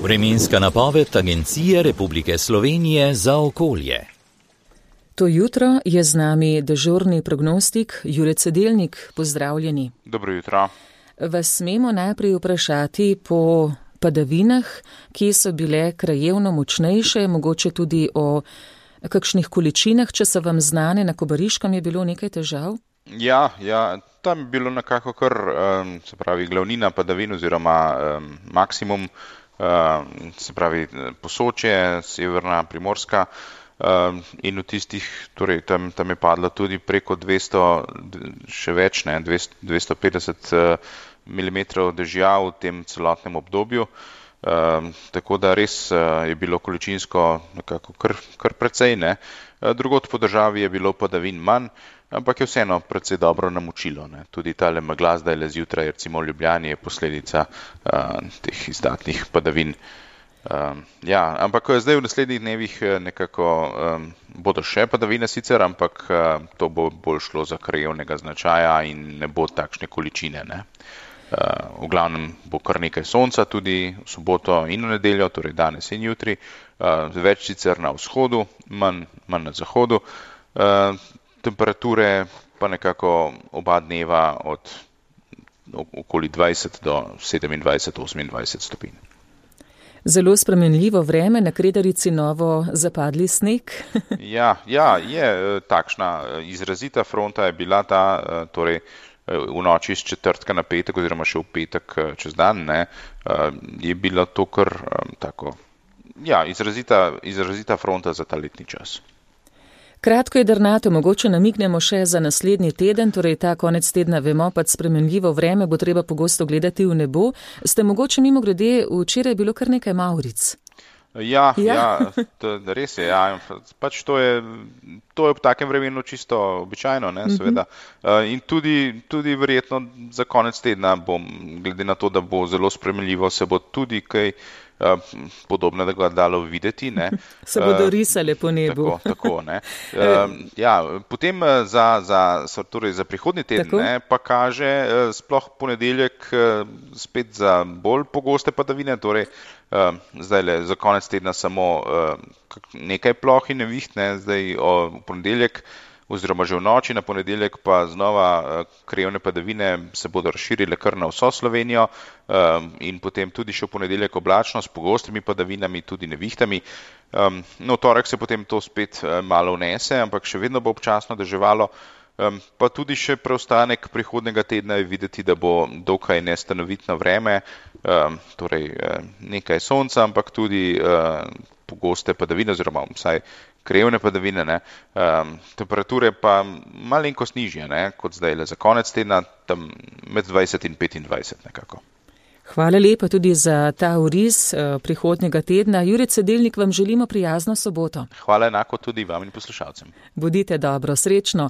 Vremenska napoved Agencije Republike Slovenije za okolje. To jutro je z nami dežurni prognostik Jure Cedelnik. Pozdravljeni. Dobro jutro. Vas smemo najprej vprašati po padavinah, ki so bile krajevno močnejše, mogoče tudi o kakšnih količinah, če so vam znane. Na Kobariškem je bilo nekaj težav? Ja, tam je bilo nekako kar, se pravi, glavnina padavin oziroma maksimum, se pravi Posočje, severna Primorska, in v tistih, torej tam je padlo tudi preko 200, še več, 250 mm dežja v tem celotnem obdobju, tako da res je bilo količinsko nekako kar precej, ne. Drugod po državi je bilo padavin manj, ampak je vseeno precej dobro namočilo, ne. Tudi tale megla zdajle zjutraj, recimo v Ljubljani, je posledica teh izdatnih padavin. Ampak zdaj v naslednjih dnevih nekako bodo še padavine sicer, ampak to bo bolj šlo za krajevnega značaja in ne bo takšne količine, ne. V glavnem bo kar nekaj sonca tudi v soboto in v nedeljo, torej danes in jutri, več sicer na vzhodu, manj na zahodu, temperature pa nekako oba dneva od okoli 20 do 27-28 stopinj. Zelo spremenljivo vreme, na Kredarici novo zapadli sneg. Ja, je takšna izrazita fronta je bila ta, torej v noči iz četrtka na petek oziroma še v petek čez dan, ne, je bila to kar tako, izrazita fronta za ta letni čas. Kratko jedrnato, mogoče namignemo še za naslednji teden, torej ta konec tedna vemo, pač spremenljivo vreme, bo treba pogosto gledati v nebo. Ste mogoče mimogrede, včeraj je bilo kar nekaj mavric. Ja, res je, pač to je v takem vremenu čisto običajno, ne, seveda. In tudi verjetno za konec tedna glede na to, da bo zelo spremenljivo, se bo tudi kaj podobnega dalo videti, ne. Se bodo risale po nebu. Tako, ne. Potem za prihodnji teden, ne, pa kaže sploh ponedeljek spet za bolj pogoste padavine, torej zdajle za konec tedna samo nekaj ploh in neviht, ne, zdaj v ponedeljek oziroma že v noči na ponedeljek pa znova krajevne padavine se bodo razširile kar na vso Slovenijo in potem tudi še v ponedeljek oblačno s pogostimi padavinami, tudi nevihtami. V torek se potem to spet malo vnese, ampak še vedno bo občasno deževalo, pa tudi še preostanek prihodnega tedna je videti, da bo dokaj nestanovitno vreme, torej nekaj sonca, ampak tudi pogoste padavine oziroma vsaj krajevne padavine, ne. Temperature pa malenkost nižje, ne, kot zdajle za konec tedna, tam med 20 in 25 nekako. Hvala lepa tudi za ta oris prihodnjega tedna. Jure Cedelnik, vam želimo prijazno soboto. Hvala enako tudi vam in poslušalcem. Bodite dobro, srečno.